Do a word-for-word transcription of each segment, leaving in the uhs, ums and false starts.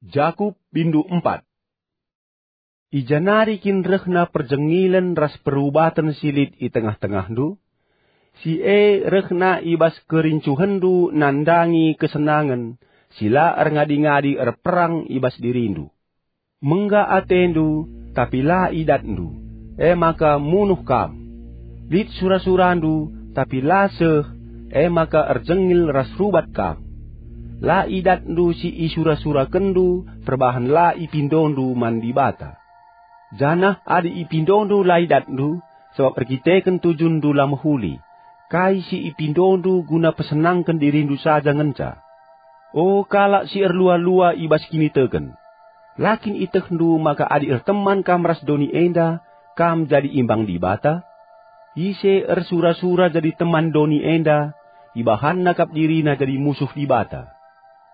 Jakup bindu empat. I ja nari kin rehna perjengilen ras perubaten si lit i tengah-tengahndu? Si e rehna i bas kerincuhenndu nandangi kesenangen si la erngadi-ngadi erperang i bas dirindu. Mengga atendu, tapi la idatndu, e maka munuh kam. Lit sura-surandu, tapi la seh, e maka erjengil ras rubat kam. La idatndu si isura-surakenndu perbahan la ipindondu man Dibata. Janah adi ipindondu la idatndu, sabap erkiteken tujundu la mehuli, kai si ipindondu guna pesenangken dirindu saja ngenca. O kalak si erlua-lua i bas kiniteken! La kin ietehndu maka adi erteman kam ras doni enda, kam jadi imbang Dibata? Ise ersura-sura jadi teman doni enda, ibahanna kap dirina jadi musuh Dibata.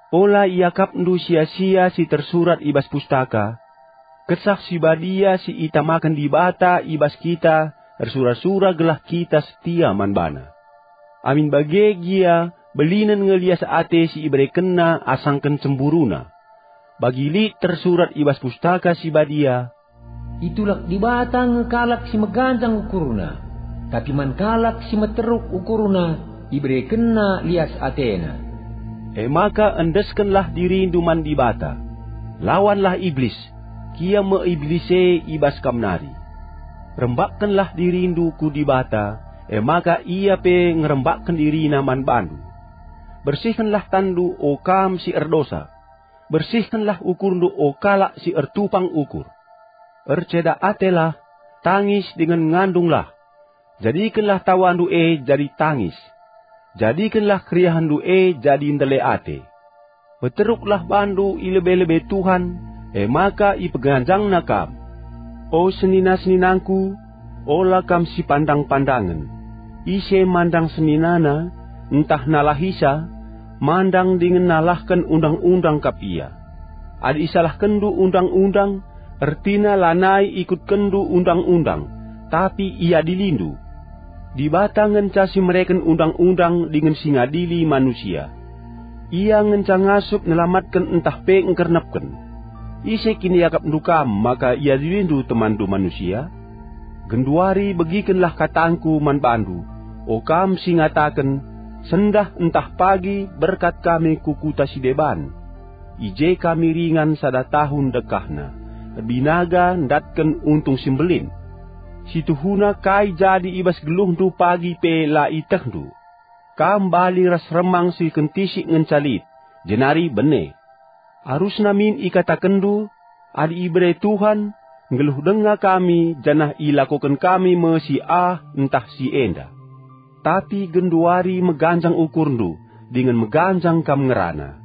Ola iakapndu sia-sia si tersurat i bas pustaka, Kesah Si Badia si itamaken Dibata i bas kita ersura-sura gelah kita setia man baNa. Amin bage gia, belinen nge lias ate si iberekenNa asangken cemburuna. Bagi lit tersurat i bas Pustaka Si Badia, "Itulak Dibata nge kalak si meganjang ukurna, tapi man kalak si meteruk ukurna iberekenNa lias ateNa." E maka endeskenlah dirindu man Dibata. Lawanlah Iblis, kia me Iblis e i bas kam nari. Rembakkenlah dirindu ku Dibata, e maka Ia pe ngerembakken diriNa man bandu. Bersihkenlah tanndu, o kam si erdosa. Bersihkenlah ukurndu, o kalak si ertupang ukur. Erceda atelah, tangis dingen ngandunglah. Jadikenlah tawandu e jadi tangis. Jadikenlah keriahenndu e jadi ndele ate. Peteruklah bandu i lebe-lebe Tuhan, e maka ipeganjangNa kam. O senina-seninangku, ola kam sipandang-pandangen. Ise mandang seninana, ntah nalahisa, mandang dingen nalahken undang-undang kap ia. Adi isalahkenndu undang-undang, ertina lanai ikutkenndu undang-undang, tapi iadilindu. Dibata ngenca si mereken undang-undang dingen si ngadili manusia. Ia ngenca ngasup nelamatken ntah pe ngkernepken. Ise kin iakapndu kam maka iadilindu temanndu manusia? Genduari begikenlah katangku man bandu, o kam si ngataken, "Sendah ntah pagi berkat kami ku kuta si deban. I je kami ringan sada tahun dekahna, erbinaga ndatken untung si mbelin." Situhuna kai jadi i bas geluhndu pagi pe la ietehndu. Kam bali ras remang si kentisik ngenca lit, jenari bene. Arusna min ikatakenndu, "Adi ibere Tuhan, nggeluh denga kami janah ilakoken kami me si ah ntah si enda." Tapi genduari meganjang ukurndu, dingen meganjang kam ngerana.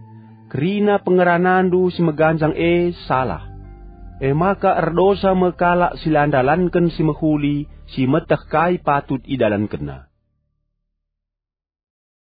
Kerina pengeranandu si meganjang e salah. E maka erdosa me kalak si la ndalanken si mehuli si meteh kai patut idalankenna.